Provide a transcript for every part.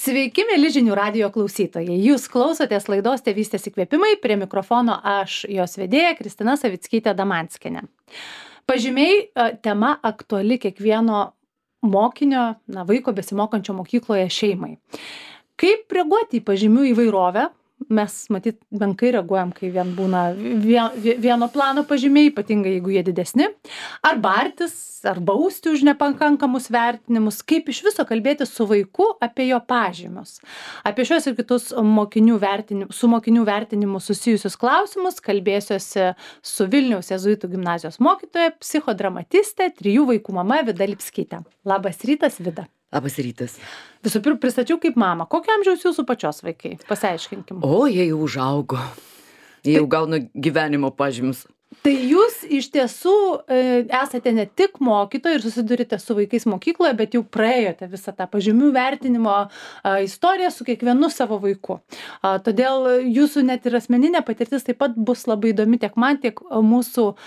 Sveiki, mėly žinių radijo klausytojai. Jūs klausotės laidos Tėvystės įkvėpimai, prie mikrofono aš, jos vedėja Kristina Savickytė Damanskienė. Pažymiai tema aktuali kiekvieno mokinio, vaiko besimokančio mokykloje šeimai. Kaip reaguoti į pažymių įvairovę? Mes, matyt, menkai reaguojam, kai vien būna vieno plano pažymiai, ypatingai jeigu jie didesni. Ar bartis, ar bausti už nepakankamus vertinimus. Kaip iš viso kalbėti su vaiku apie jo pažymius. Apie šios ir kitus su mokinių vertinimu susijusius klausimus kalbėsiuosi su Vilniaus Jėzuitų gimnazijos mokytoja, psichodramatiste, 3 vaikų mama Vida Lipskytė. Labas rytas, Vida. Labas rytas. Visų pirma, pristačiau kaip mamą. Kokio amžiaus jūsų pačios vaikai? Pasiaiškinkim. Jie jau užaugo. Jie jau gauna gyvenimo pažymius. Tai jūs iš tiesų esate ne tik mokytoja ir susidurite su vaikais mokykloje, bet jau praėjote visą tą pažymių vertinimo istoriją su kiekvienu savo vaiku. Todėl jūsų net ir asmeninė patirtis taip pat bus labai įdomi tiek man, tiek mūsų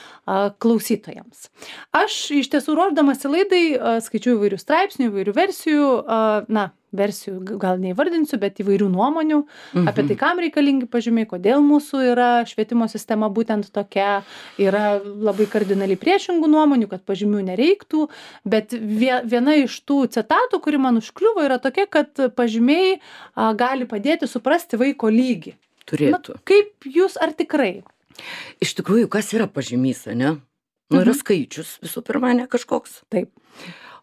klausytojams. Aš iš tiesų ruošdamasi laidai skaičiau įvairių straipsnių, įvairių versijų, versijų gal neįvardinsiu, bet įvairių nuomonių apie tai, kam reikalingi pažymiai, kodėl mūsų yra švietimo sistema būtent tokia, yra labai kardinaliai priešingų nuomonių, kad pažymių nereiktų, bet viena iš tų citatų, kuri man užkliuvo, yra tokia, kad pažymiai gali padėti suprasti vaiko lygį. Turėtų. Kaip jūs, ar tikrai? Iš tikrųjų, kas yra pažymys, ne? Yra skaičius, visų pirma, ne kažkoks. Taip.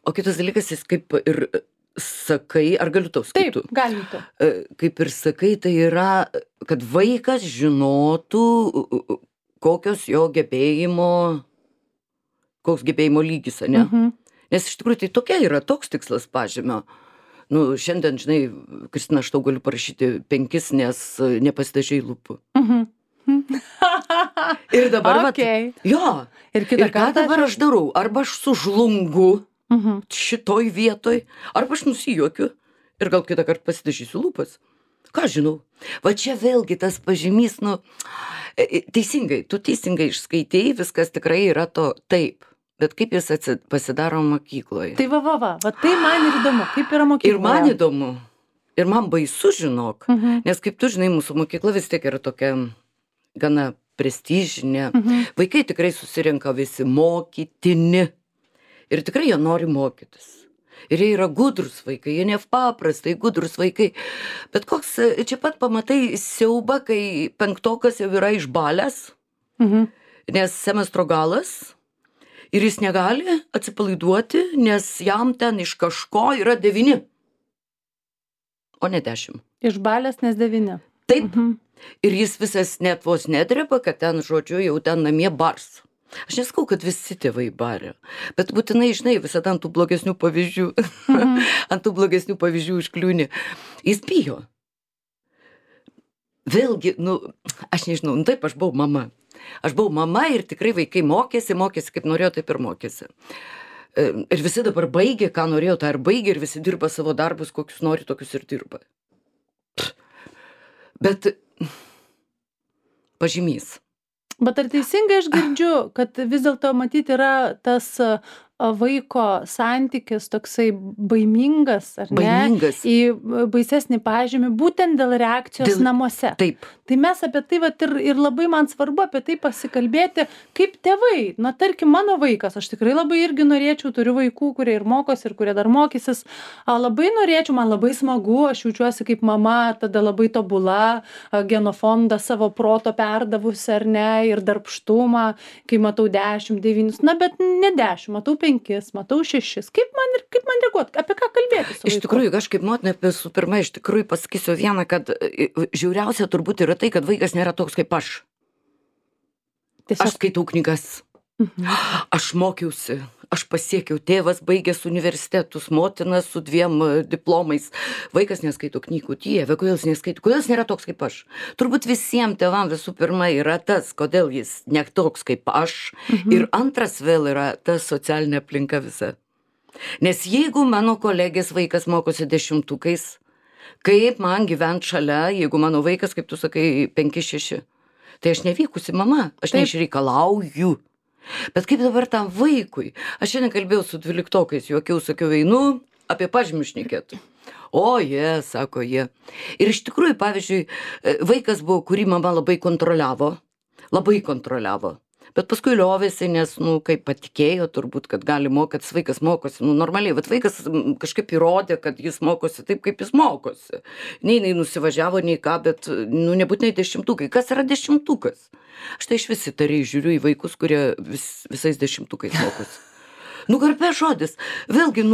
O kitas dalykas, jis kaip ir sakai, ar galiu tau skaitų? Taip, galim. Kaip ir sakai, tai yra, kad vaikas žinotų, koks gebėjimo lygis, ne? Nes iš tikrųjų tai tokia yra, toks tikslas pažymio. Šiandien, žinai, Kristina, aš tau galiu parašyti 5, nes nepasidažei lūpų. Ir dabar, ir ką dabar aš darau? Arba aš sužlungu šitoj vietoj, arba aš nusijuokiu ir gal kitą kartą pasidažysiu lūpas. Ką žinau? Va čia vėlgi tas pažymys, teisingai, tu teisingai išskaitei, viskas tikrai yra to taip. Bet kaip jis pasidaro mokykloje? Tai va, tai man ir įdomu, kaip yra mokykloje. Ir man įdomu, ir man baisu, žinok, nes kaip tu žinai, mūsų mokykla vis tiek yra tokia gana prestižinė. Vaikai tikrai susirenka visi mokytini. Ir tikrai jie nori mokytis. Ir jie yra gudrus vaikai, jie nepaprastai gudrus vaikai. Bet koks, čia pat pamatai siaubą, kai 5-okas jau yra išbalęs, nes semestro galas, ir jis negali atsipalaiduoti, nes jam ten iš kažko yra 9, o ne 10. Išbalęs, nes 9. Taip. Ir jis visas net vos nedreba, kad ten, žodžiu, jau ten namie bars. Aš neskau, kad visi tėvai barė, bet būtinai, žinai, visada ant tų blogesnių pavyzdžių užkliūni. Jis bijo. Vėlgi, aš nežinau, taip, aš buvau mama. Aš buvau mama ir tikrai vaikai mokėsi kaip norėjo, taip ir mokėsi. Ir visi dabar baigė, ką norėjo, tą ir baigė, ir visi dirba savo darbus, kokius nori, tokius ir dirba. Bet pažymys. Bet ar teisingai aš girdžiu, kad vis dėlto matyti yra tas vaiko santykis toksai baimingas, ar ne? Baimingas. Į baisesnį pažymį, būtent dėl reakcijos namuose. Taip. Tai mes apie tai ir labai man svarbu apie tai pasikalbėti, kaip tėvai. Tarkim, mano vaikas, aš tikrai labai irgi norėčiau, turiu vaikų, kurie ir mokosi, ir kurie dar mokysis. Labai norėčiau, man labai smagu, aš jaučiuosi kaip mama, tada labai tobula, genofondą savo proto perdavusi, ar ne, ir darbštumą, kai matau 10, 9, bet ne 10, matau 5, matau 6. Kaip man reaguoti, apie ką kalbėti su vaiku? Iš tikrųjų, aš kaip motina, visų pirma, iš tikrųjų pasakysiu vieną, kad žiauriausia turbūt yra tai, kad vaikas nėra toks kaip aš. Aš skaitau knygas. Aš mokiausi. Aš pasiekiau, tėvas baigęs universitetus, motina su 2 diplomais. Vaikas neskaito knygų. Dieve, kodėl jis neskaito? Kodėl jis nėra toks kaip aš? Turbūt visiems tėvam visų pirma yra tas, kodėl jis ne toks kaip aš. Ir antras vėl yra ta socialinė aplinka visa. Nes jeigu mano kolegės vaikas mokosi 10-ukais, kaip man gyvent šalia, jeigu mano vaikas, kaip tu sakai, 5-6, tai aš nevykusi mama, aš neišreikalauju. Bet kaip dabar tam vaikui? Aš šiandien kalbėjau su 12-okais, juokiau, sakiau, einu apie pažymius šnekėti. O, sako jie. Ir iš tikrųjų, pavyzdžiui, vaikas buvo, kurį mama labai kontroliavo. Bet paskui liovėsi, nes, kaip patikėjo turbūt, kad gali mokytis, vaikas mokosi, normaliai. Bet vaikas kažkaip įrodė, kad jis mokosi taip, kaip jis mokosi. Nei nusivažiavo, nei ką, bet, nebūtinai 10-tukai. Kas yra 10-tukas? Aš tai iš vis įtariai žiūriu į vaikus, kurie visais 10-tukais mokosi. Garbės žodis. Vėlgi,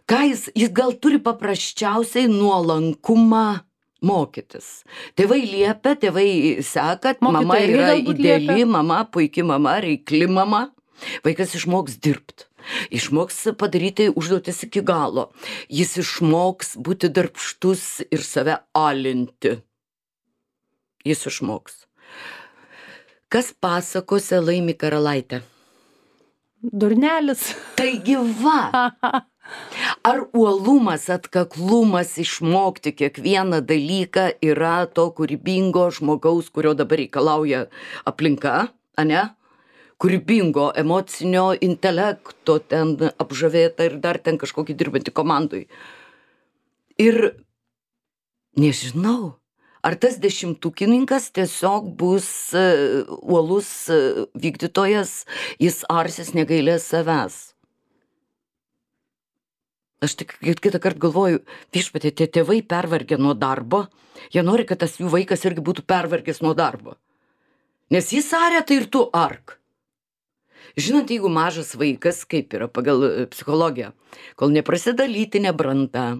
ką jis gal turi paprasčiausiai nuolankumą mokytis. Tėvai liepia, tėvai seka, mama yra ideali mama, puiki mama, reikli mama. Vaikas išmoks dirbti. Išmoks padaryti užduotis iki galo. Jis išmoks būti darbštus ir save alinti. Jis išmoks. Kas pasakose laimi karalaitę? Durnelis. Taigi va. Ar uolumas, atkaklumas išmokti kiekvieną dalyką yra to kūrybingo žmogaus, kurio dabar reikalauja aplinka, ane? Kūrybingo, emocinio intelekto ten apžavėta ir dar ten kažkokį dirbantį komandui. Ir nežinau, ar tas 10-tukininkas tiesiog bus uolus vykdytojas, jis arsis negailės savęs. Aš tik kitą kartą galvoju, viešpatie, tie tėvai pervargę nuo darbo, jie nori, kad tas jų vaikas irgi būtų pervargęs nuo darbo. Nes jis aria, tai ir tu ark. Žinot, jeigu mažas vaikas, kaip yra pagal psichologiją, kol neprasideda lytinė branda,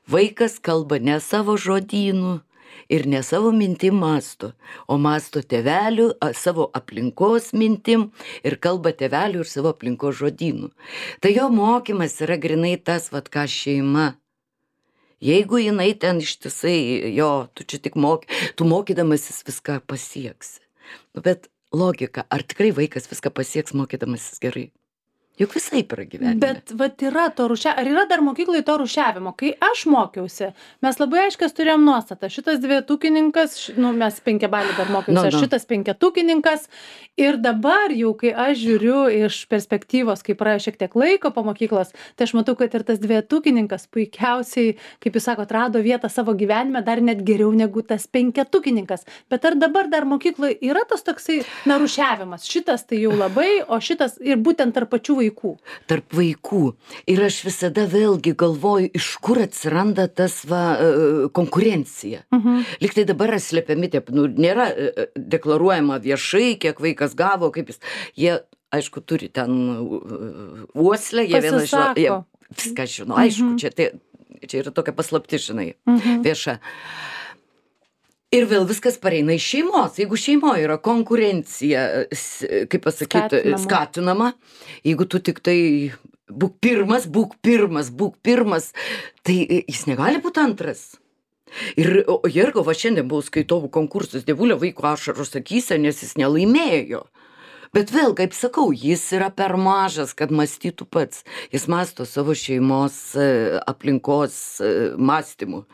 vaikas kalba ne savo žodynu ir ne savo mintim mąsto, o mąsto tėvelių, savo aplinkos mintim ir kalba tėvelių ir savo aplinkos žodynu. Tai jo mokymas yra grinai tas, ką šeima. Jeigu jinai ten ištisai, tu čia tik tu mokydamasis viską pasieksi. Bet logika, ar tikrai vaikas viską pasieks mokydamasis gerai? Juk visaip yra gyvenime. Bet yra to ar yra dar mokyklai to rūšiavimo? Kai aš mokiausi, mes labai aiškias turėjom nuostatą. Šitas 2-tukininkas, mes 5-balį dar mokiausi, šitas 5-tukininkas. Ir dabar jau, kai aš žiūriu iš perspektyvos, kai praėjo šiek tiek laiko po mokyklos, tai aš matau, kad ir tas 2-tukininkas puikiausiai, kaip jūs sakote, rado vietą savo gyvenime dar net geriau negu tas 5-tukininkas. Bet ar dabar dar mokykloje yra tas toksai rūšiavimas? Šitas tai jau labai, o šitas ir būtent tarp pačių vaikų. Tarp vaikų. Ir aš visada vėlgi galvoju, iš kur atsiranda tas konkurencija. Lyg tai dabar slepiami, nėra deklaruojama viešai, kiek vaikas gavo, kaip jis. Jie, aišku, turi ten uoslę, jie vieną žino, jie viską žino, aišku, čia yra tokia paslaptis, žinai, vieša. Ir vėl viskas pareina iš šeimos. Jeigu šeimoje yra konkurencija, kaip pasakyti, skatinama, jeigu tu tik tai būk pirmas, tai jis negali būti antras. Ir va šiandien buvau skaitovų konkursus Dievulio vaiko ašaros akyse, nes jis nelaimėjo. Bet vėl, kaip sakau, jis yra per mažas, kad mąstytų pats. Jis mąsto savo šeimos aplinkos mąstymu.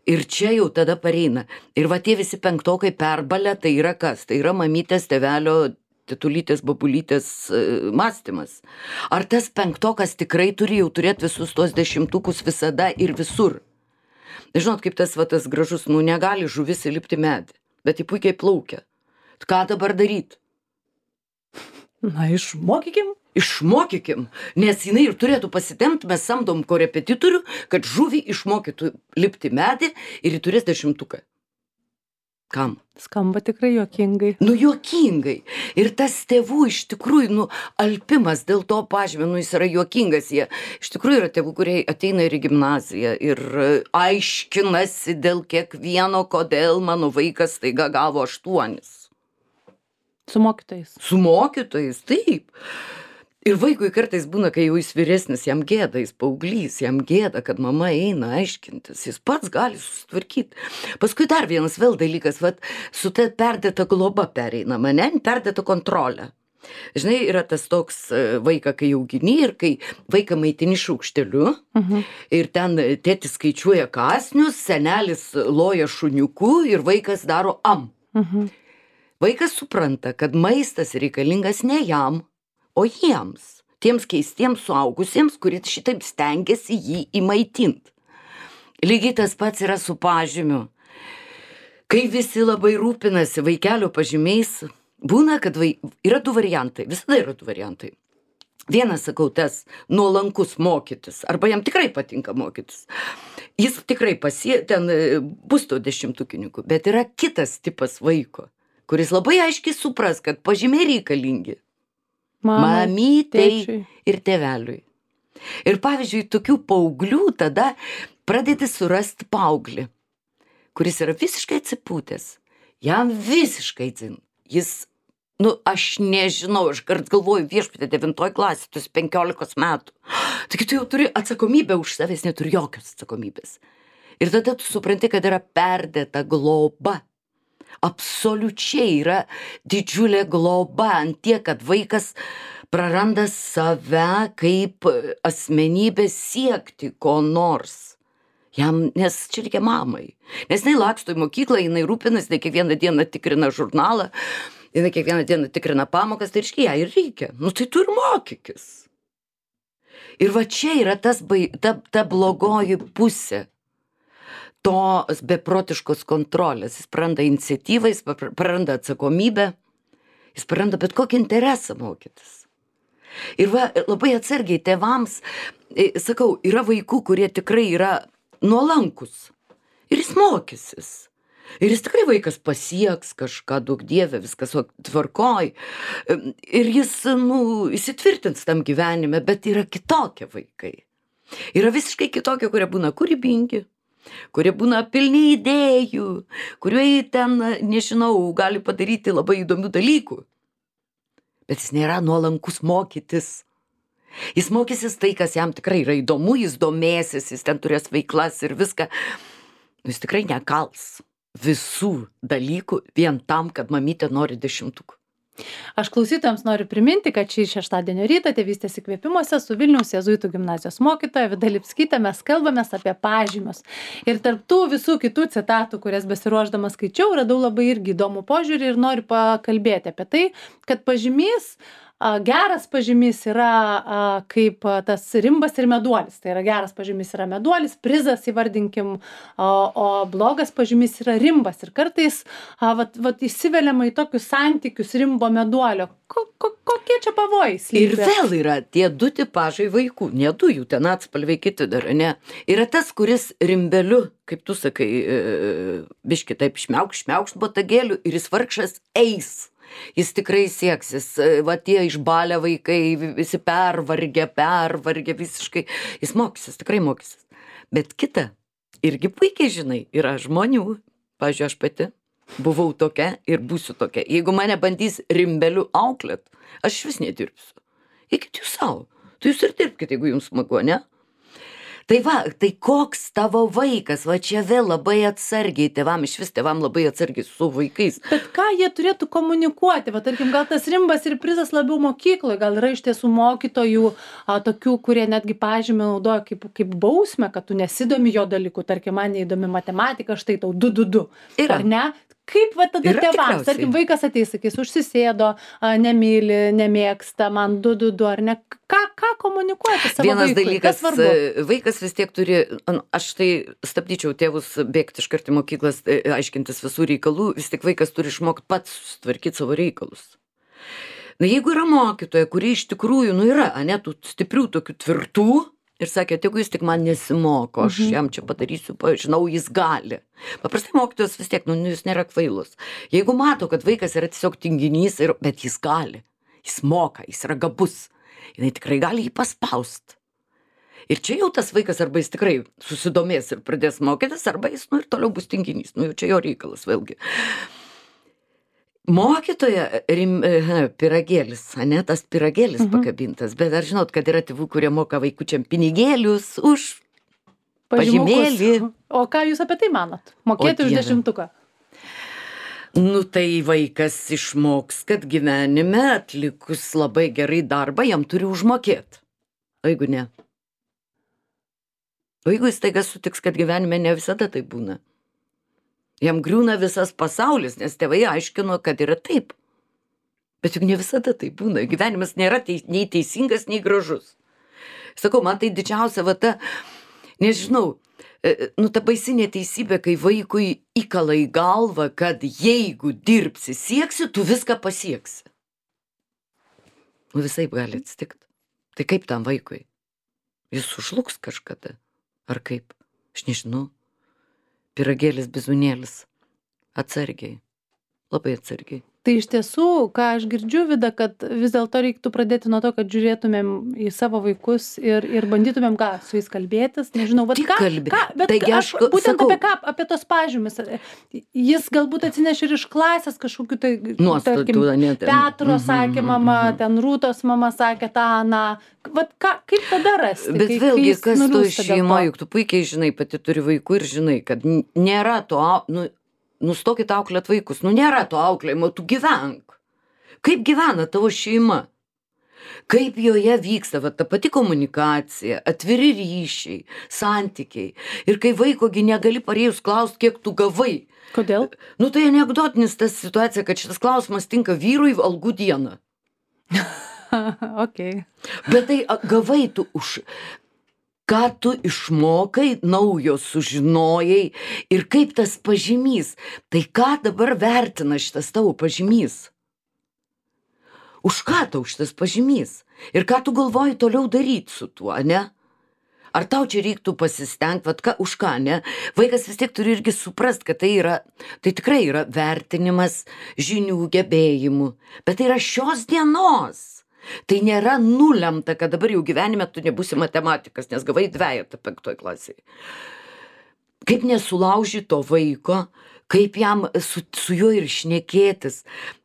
Ir čia jau tada pareina. Ir va tie visi 5-tokai perbalę, tai yra kas? Tai yra mamytės, tėvelio, tetulytės, babulytės mąstymas. Ar tas 5-tokas tikrai turi jau turėti visus tuos 10-tukus visada ir visur? Žinot, kaip tas gražus, negali žuvis įlipti medį, bet jį puikiai plaukia. Ką dabar daryti? Išmokykim, nes jinai ir turėtų pasitemti, mes samdom korepetitorių, kad žuvį išmokytų lipti medį ir jį turės 10-tuką. Kam? Skamba tikrai juokingai. Juokingai. Ir tas tėvų iš tikrųjų, alpimas dėl to pažymė, jis yra juokingas. Jie iš tikrųjų yra tėvų, kurie ateina ir į gimnaziją ir aiškinasi dėl kiekvieno, kodėl mano vaikas staiga gavo 8. Su mokytojais. Su mokytojais, taip. Ir vaikui kartais būna, kai jau jis vyresnis, jam gėda, jis paauglys, jam gėda, kad mama eina aiškintis, jis pats gali susitvarkyti. Paskui dar vienas vėl dalykas, su ta perdėta globa pereinama, perdėta kontrolė. Žinai, yra tas toks vaiką, kai augini ir kai vaiką maitini šaukšteliu ir ten tėtis skaičiuoja kąsnius, senelis loja šuniuku ir vaikas daro am. Vaikas supranta, kad maistas reikalingas ne jam, o jiems, tiems keistiems suaugusiems, kurie šitaip stengiasi jį įmaitinti. Lygiai tas pats yra su pažymiu. Kai visi labai rūpinasi vaikelio pažymiais, būna, kad yra du variantai, visada yra du variantai. Vienas, sakau, tas nuolankus mokytis, arba jam tikrai patinka mokytis. Jis tikrai ten bus to 10-tukininkų, bet yra kitas tipas vaiko, kuris labai aiškiai supras, kad pažymiai reikalingi mamytei ir tėveliui. Ir pavyzdžiui, tokių paauglių tada pradedi surasti paauglį, kuris yra visiškai atsipūtęs. Jam visiškai dzin. Jis, aš nežinau, aš kart galvoju, viešpatie 9 klasė, tu esi 15 metų. Taigi tu jau turi atsakomybę už savęs, neturi jokios atsakomybės. Ir tada tu supranti, kad yra perdėta globa. Absoliučiai yra didžiulė globa ant tiek, kad vaikas praranda save kaip asmenybę siekti ko nors. Nes čia reikia mamai. Nes jinai laksto į mokyklą, jinai rūpinasi, jinai kiekvieną dieną tikrina žurnalą, jinai kiekvieną dieną tikrina pamokas, tai reiškia, ją ir reikia. Tai tu ir mokykis. Ir va čia yra ta blogoji pusė tos beprotiškos kontrolės. Jis praranda iniciatyvą, jis praranda atsakomybę, jis praranda bet kokį interesą mokytis. Ir va, labai atsargiai tėvams, sakau, yra vaikų, kurie tikrai yra nuolankus. Ir jis mokysis. Ir jis tikrai vaikas pasieks kažką, daug dievė, viskas tvarkoj. Ir jis, įsitvirtins tam gyvenime, bet yra kitokie vaikai. Yra visiškai kitokie, kurie būna kūrybingi, kurie būna pilni idėjų, kurie ten, nežinau, gali padaryti labai įdomių dalykų. Bet jis nėra nuolankus mokytis. Jis mokysis tai, kas jam tikrai yra įdomu, jis domėsis, jis ten turės veiklas ir viską. Jis tikrai nekals visų dalykų vien tam, kad mamytė nori 10. Aš klausytojams noriu priminti, kad šį šeštadienio rytą Tėvystės įkvėpimuose su Vilniaus jėzuitų gimnazijos mokytoja Vida Lipskyte mes kalbamės apie pažymius. Ir tarp tų visų kitų citatų, kurias besiruošdama skaičiau, radau labai irgi įdomų požiūrį ir noriu pakalbėti apie tai, kad pažymys, geras pažymys yra kaip tas rimbas ir meduolis. Tai yra geras pažymys yra meduolis, prizas įvardinkim, o blogas pažymys yra rimbas. Ir kartais įsiveliama į tokius santykius rimbo meduolio. Kokie čia pavojai slypi? Ir vėl yra tie du tipažai vaikų, ne du jų ten atspalviai kiti dar, ne. Yra tas, kuris rimbeliu, kaip tu sakai, biški taip šmiaukšt botagėlių ir jis vargšas eis. Jis tikrai sieksis, va tie išbalę vaikai, visi pervargę visiškai, jis mokysis, tikrai mokysis. Bet kita, irgi puikiai žinai, yra žmonių, pavyzdžiui, aš pati buvau tokia ir būsiu tokia. Jeigu mane bandys rimbeliu auklėt, aš vis nedirbsiu. Eikit jūs savo, tu jūs ir dirbkit, jeigu jums smagu, ne? Tai va, tai koks tavo vaikas, va čia vėl labai atsargiai tėvam, iš vis tėvam labai atsargiai su vaikais. Bet ką jie turėtų komunikuoti? Va, tarkim, gal tas rimbas ir prizas labiau mokykloje, gal yra iš tiesų mokytojų tokių, kurie netgi pažymį naudoja kaip bausmę, kad tu nesidomi jo dalykų, tarkim, man neįdomi matematika, štai tau 2. Ar ne? Kaip va tada tėvams, tarkim, vaikas ateis, sakys, užsisėdo, nemyli, nemėgsta, man 2, ar ne? Ką komunikuoti savo Vienas vaikui? Dalykas, vaikas vis tiek turi, aš tai stabdyčiau tėvus bėgti iškart į mokyklas, aiškintis visų reikalų, vis tik vaikas turi išmokti pats sutvarkyti savo reikalus. Jeigu yra mokytoja, kuri iš tikrųjų, yra, ne, tų stiprių, tokių tvirtų, ir sakė, jeigu jis tik man nesimoko, aš jam čia padarysiu, žinau, jis gali. Paprastai mokytojas vis tiek, jis nėra kvailus. Jeigu mato, kad vaikas yra tiesiog tinginys, bet jis gali, jis moka, jis yra gabus, jinai tikrai gali jį paspaust. Ir čia jau tas vaikas arba jis tikrai susidomės ir pradės mokytis, arba jis, ir toliau bus tinginys, jau čia jo reikalas vėlgi. Mokytoja pyragėlis, ne, tas pyragėlis pakabintas, bet ar žinot, kad yra tėvų, kurie moka vaikučiam pinigėlius už pažymėlį. O ką jūs apie tai manot? Mokėti už 10? Tai vaikas išmoks, kad gyvenime atlikus labai gerai darbą, jam turi užmokėti. O jeigu ne? O jeigu jis taiga sutiks, kad gyvenime ne visada tai būna? Jam griūna visas pasaulis, nes tėvai aiškino, kad yra taip. Bet juk ne visada tai būna. Gyvenimas nėra nei teisingas, nei gražus. Sakau, man tai didžiausia, nežinau, nu, ta baisi neteisybė, kai vaikui įkala į galvą, kad jeigu dirbsi, sieksi, tu viską pasieksi. Nu, visaip gali atsitikti. Tai kaip tam vaikui? Jis sužlugs kažkada. Ar kaip? Aš nežinau. Pyragėlis, bizūnėlis. Atsargiai. Labai atsargiai. Tai iš tiesų, ką aš girdžiu, Vida, kad vis dėlto reiktų pradėti nuo to, kad žiūrėtumėm į savo vaikus ir bandytumėm su jais kalbėtis. Nežinau, bet būtent sakau, apie ką, apie tos pažymis. Jis galbūt atsineš ir iš klasės kažkokiu tai, nuostatų, Petro sakė mama, ten Rūtos mama sakė tą, na, vat kaip tada rasti? Bet vėlgi, kas to šeima, juk tu puikiai žinai, pati turi vaikų ir žinai, kad nėra to, nustokit auklėt vaikus, nėra to auklėjimo, tu gyvenk. Kaip gyvena tavo šeima? Kaip joje vyksta ta pati komunikacija, atviri ryšiai, santykiai. Ir kai vaikogi negali parėjus klausti, kiek tu gavai. Kodėl? Nu tai anekdotinis tas situacija, kad šitas klausimas tinka vyrui algų dieną. Okay. Bet tai gavai tu už... Ką tu išmokai, naujo sužinojai ir kaip tas pažymys. Tai ką dabar vertina šitas tavo pažymys? Už ką tau šitas pažymys? Ir ką tu galvoji toliau daryti su tuo, ne? Ar tau čia reiktų pasistengti, už ką, ne? Vaikas vis tiek turi irgi suprast, kad tai tikrai yra vertinimas žinių, gebėjimų. Bet tai yra šios dienos. Tai nėra nulemta, kad dabar jau gyvenime tu nebūsi matematikas, nes gavai 2 5 klasėje. Kaip nesulauži to vaiko, kaip jam su juo ir šnekėtis,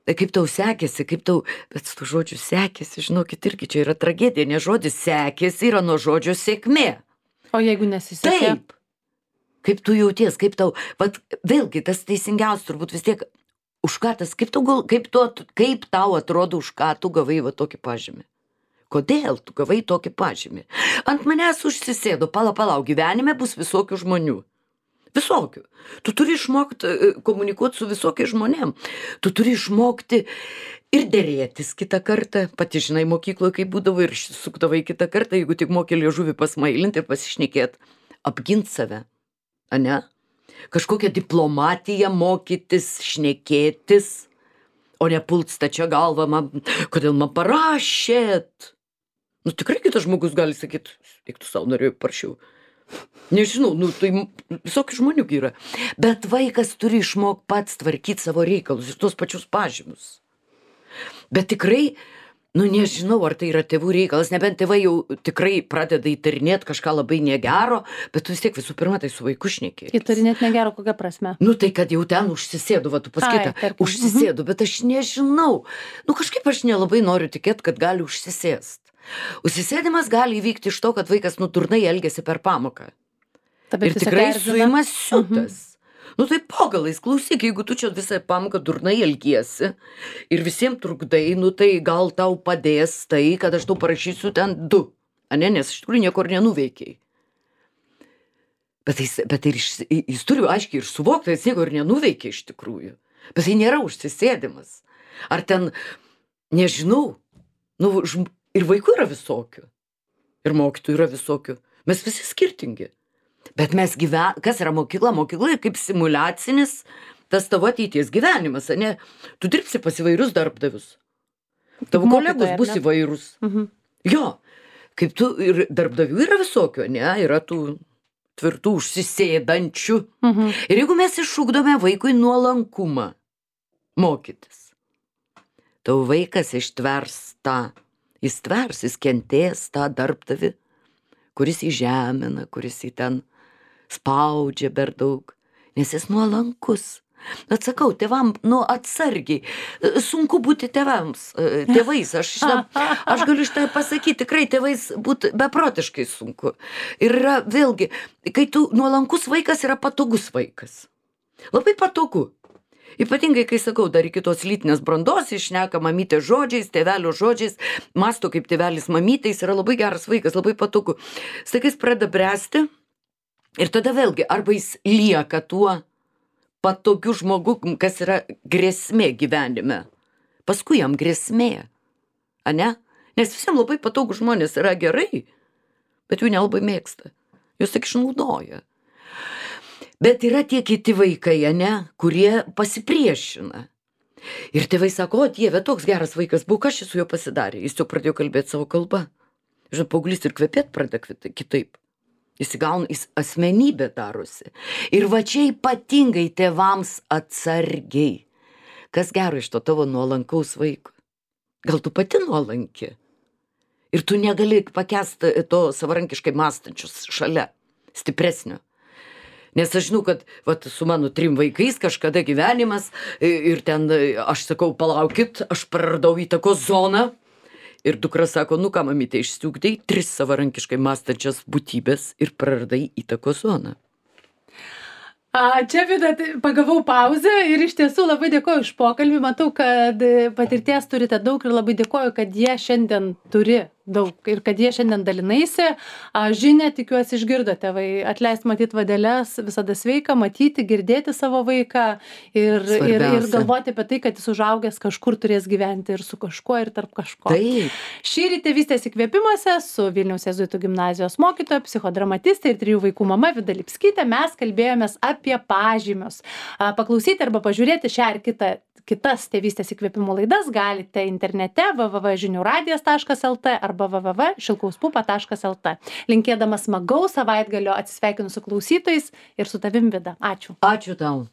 kaip tau sekėsi, bet su žodžiu sekėsi, žinokit, irgi čia yra tragedija, nes žodis sekėsi yra nuo žodžio sėkmė. O jeigu nesisekė? Taip. Kaip tu jauties, kaip tau, vėlgi tas teisingiausias turbūt vis tiek, už ką tas, kaip tau atrodo, už ką tu gavai tokį pažymį? Kodėl tu gavai tokį pažymį? Ant manęs užsisėdo, palauk, gyvenime bus visokių žmonių. Visokių. Tu turi išmokti komunikuoti su visokiais žmonėm. Tu turi išmokti ir dėrėtis kitą kartą. Pati žinai, mokykloje kaip būdavo ir sukdavai kitą kartą, jeigu tik moki liežuvį pasmailinti ir pasišnekėti, apginti save. Ane? Kažkokią diplomatiją mokytis, šnekėtis, o ne pult stačia galva, kodėl man parašėt? Nu tikrai kitas žmogus gali sakyti, eik tu savo norėjau parašiau. Nežinau, tai visokių žmonių yra. Bet vaikas turi išmokti pats tvarkyti savo reikalus ir tuos pačius pažymus. Bet tikrai, nežinau, ar tai yra tėvų reikalas, nebent tėvai jau tikrai pradeda įtarinėti kažką labai negero, bet tu vis tiek visų pirma tai su vaiku šnekėtis. Įtarinėti negero kokia prasme? Tai kad jau ten užsisėdu, tu pasakyta, užsisėdu, bet aš nežinau. Kažkaip aš nelabai noriu tikėti, kad gali užsisėst. Užsisėdimas gali įvykti iš to, kad vaikas durnai elgiasi per pamoką. Ir tikrai suimas siutas. Tai po galais, klausyk, jeigu tu čia visą pamoką durnai elgiesi ir visiems trukdai, tai gal tau padės tai, kad aš tau parašysiu ten 2. Nes iš tikrųjų niekur nenuveikiai. Bet jis turi aiškiai ir suvokti, jis niekur nenuveikia iš tikrųjų. Bet tai nėra užsisėdimas. Ar ten, nežinau, ir vaikų yra visokių. Ir mokytojų yra visokių. Mes visi skirtingi. Bet mes kas yra mokykla? Mokykla kaip simuliacinis tas tavo ateities gyvenimas, ne? Tu dirbsi pas įvairius darbdavius. Tavo kolegos bus įvairūs. Jo, kaip tu ir darbdavių yra visokių, ne? Yra tų tvirtų užsisėdančių. Ir jeigu mes išugdome vaikui nuolankumą mokytis, tavo vaikas ištvers tą, jis kentės tą darbdavį, kuris įžemina, kuris į ten spaudžia per daug, nes jis nuolankus. Bet sakau, tėvam, atsargiai, sunku būti tėvais, aš galiu šitą pasakyti, tikrai tėvais būti beprotiškai sunku. Ir yra vėlgi, kai tu nuolankus vaikas yra patogus vaikas. Labai patogu. Ypatingai, kai sakau, dar iki tos lytinės brandos, išneka mamytė žodžiais, tėvelio žodžiais, masto kaip tėvelis mamytės, yra labai geras vaikas, labai patogu. Staiga jis pradeda bręsti ir tada vėlgi, arba jis lieka tuo patogiu žmogu, kas yra grėsmė gyvenime. Paskui jam grėsmė, ane? Nes visiems labai patogų žmonės yra gerai, bet jų nelabai mėgsta. Jūs tik išnaudoja. Bet yra tie kiti vaikai, ane, kurie pasipriešina. Ir tėvai sako, o Dieve, toks geras vaikas buvo, kas šis su juo pasidarė? Jis jau pradėjo kalbėti savo kalbą. Žinot, paauglys ir kvepėt pradeda kitaip. Jis įgauna, jis asmenybė darosi. Ir va čia ypatingai tėvams atsargiai. Kas gero iš to tavo nuolankaus vaiko? Gal tu pati nuolanki? Ir tu negali pakęsti to savarankiškai mąstančius šalia, stipresnio. Nes aš žinau, kad vat, su mano 3 vaikais kažkada gyvenimas ir ten aš sakau, palaukit, aš praradau įtakos zoną. Ir dukra sako, nu ką, mamytė, išsiugdei 3 savarankiškai mąstančias būtybės ir praradai įtakos zoną. Čia, Vida, pagavau pauzę ir iš tiesų labai dėkoju už pokalbį. Matau, kad patirties turite daug ir labai dėkoju, kad jie šiandien turi daug ir kad jie šiandien dalinaisi. Žinia, tikiuosi, išgirdo tėvai. Atleist matyti vadeles, visada sveika, matyti, girdėti savo vaiką ir galvoti apie tai, kad jis užaugęs kažkur turės gyventi ir su kažkuo ir tarp kažko. Taip. Šįryt Tėvystės įkvėpimuose su Vilniaus jėzuitų gimnazijos mokytoja, psichodramatistė ir 3 vaikų mama Vida Lipskytė mes kalbėjomės apie pažymius. Paklausyti arba pažiūrėti šią ar kitas Tėvystės įkvėpimų laidas galite internete www.žiniuradijas.lt arba www.šilkauspupa.lt. Linkėdama smagaus savaitgalio atsisveikinu su klausytojais ir su tavim, Vida. Ačiū. Ačiū tau.